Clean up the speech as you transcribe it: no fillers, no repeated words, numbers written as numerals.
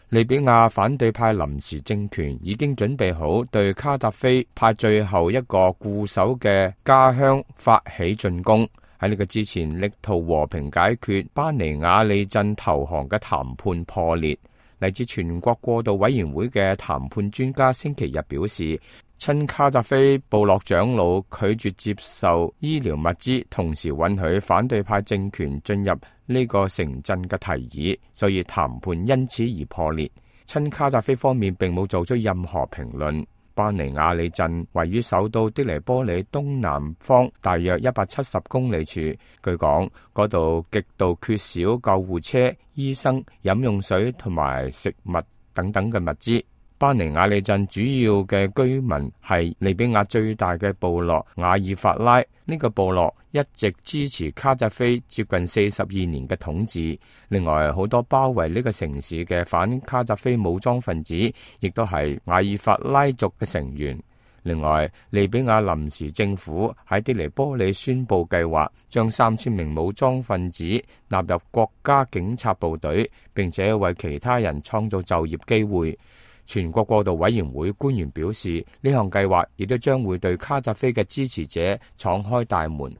利比亞反對派臨時政權已經準備好對卡達菲派最後一個固守嘅家鄉發起進攻。喺呢個之前，力圖和平解決巴尼亞利鎮投降嘅談判破裂。嚟自全國過渡委員會嘅談判專家星期日表示，親卡扎菲部落長老拒絕接受醫療物資，同時允許反對派政權進入呢個城鎮嘅提議，所以談判因此而破裂。親卡扎菲方面並冇做出任何評論。巴尼亞利鎮位於首都的黎波里東南方大約170公里處，據講嗰度極度缺少救護車、醫生、飲用水同埋食物等等嘅物資。巴尼亞利鎮主要嘅居民係利比亞最大嘅部落瓦爾法拉，呢個部落一直支持卡扎菲接近42年嘅統治。另外，好多包圍呢個城市嘅反卡扎菲武裝分子，亦都係瓦爾法拉族嘅成員。另外，利比亞臨時政府喺的黎波里宣布計劃將3000名武裝分子納入國家警察部隊，並且為其他人創造就業機會。全國過渡委員會官員表示，呢項計劃亦都將會對卡扎菲嘅支持者敞開大門。